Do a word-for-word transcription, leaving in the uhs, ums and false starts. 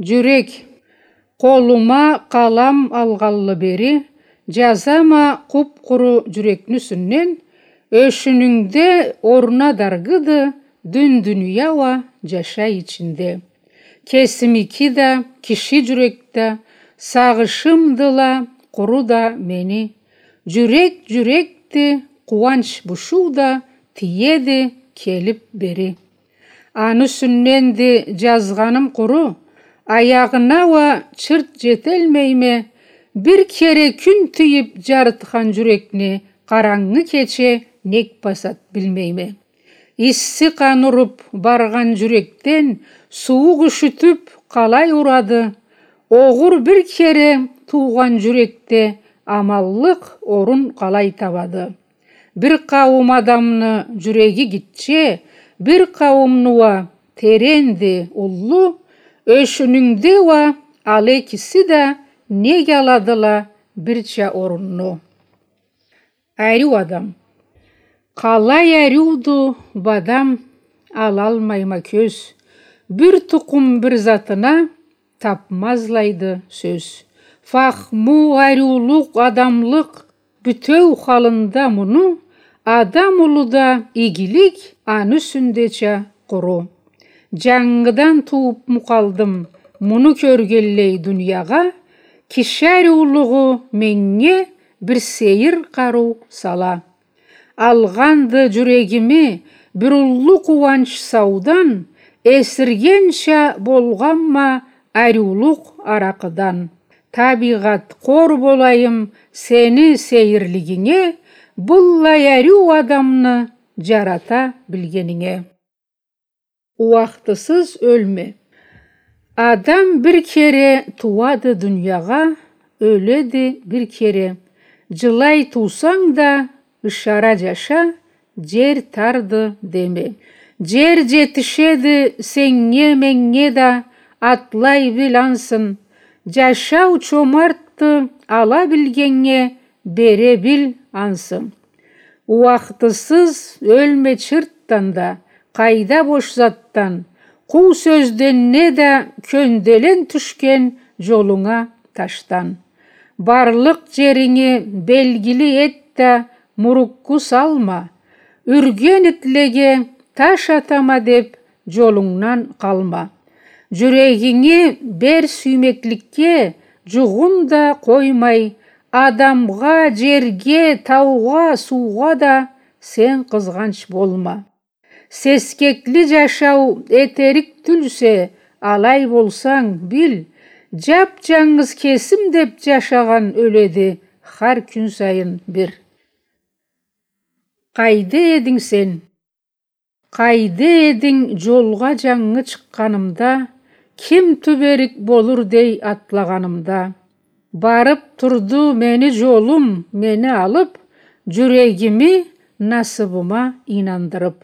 Джюрек. Къолума къалам алгъанлы бери, джазама къуп-къуру джюрекни юсюнден, ёшюнюнгде орна даргыды, дюн дуния уа джашай ичинде. Кесимики да, киши джюрек да, сагъышымдыла къуру да мени. Джюрек джюрекди, къууанч бушуу да тиеди келип бери. Аны юсюнденди джазгъаным къуру, аягъына уа чырт джетелмейме, бир кере кюн тийип джарытхан джюрекни къарангы кече нек басад билмейме. Исси къан уруп баргъан джюрекден сууукъ юшютюп къалай урады, огъур бир кере туугъан джюрекде аманлыкъ орун къалай табады? Бир къауум адамны джюреги гитче, бир къауумну уа теренди, уллу, ёшюнюнгде уа ал экиси да нек аладыла бирча орунну? Ариу адам. Къалай ариуду бу адам, алалмайма кёз. Бир тукъум бир затына тапмазлайды сёз. Фахму, ариулукъ, адамлыкъ, бютеу халында муну, адам улуда игилик аны юсюндеча къуру. Джангыдан туупму къалдым муну кёргенлей дуниягъа, киши ариулугъу меннге бир сейир къарыу сала. Алгъанды джюрегими бир уллу къууанч саудан, эсиргенча болгъанма ариулукъ аракъыдан. Табийгъат, къор болайым сени сейирлигинге, быллай ариу адамны джарата билгенинге. Ууахтысыз ёлме. Адам бир кере тууады дуниягъа, ёледи бир кере. Джылай туусанг да, ышара джаша, джер тарды деме. Джер джетишеди сеннге, меннге да, атлай бил ансын. Джашау чомартды, ала билгеннге бере бил ансын. Ууахтысыз ёлме чыртдан да, къайда бош затдан, къуу сёзден неда кёнделен тюшген джолунга ташдан. Барлыкъ джеринги белгили эт да, мурукку салма. Юрген итлеге таш атама деп, джолунгдан къалма. Джюрегинги бер сюймекликге, джугъун да къоймай, адамгъа, джерге, таугъа, суугъа да сен къызгъанч болма. Сескекли джашау этерик тюлсе, алай болсанг, бил, джап-джангыз кесим деп джашагъан ёледи хар кюн сайын бир. Къайда эдинг сен? Къайда эдинг джолгъа джангы чыкъгъанымда, ким тюберик болур дей атлагъанымда? Барып турду мени джолум, мени алып, джюрегими насыбыма ийнандырып.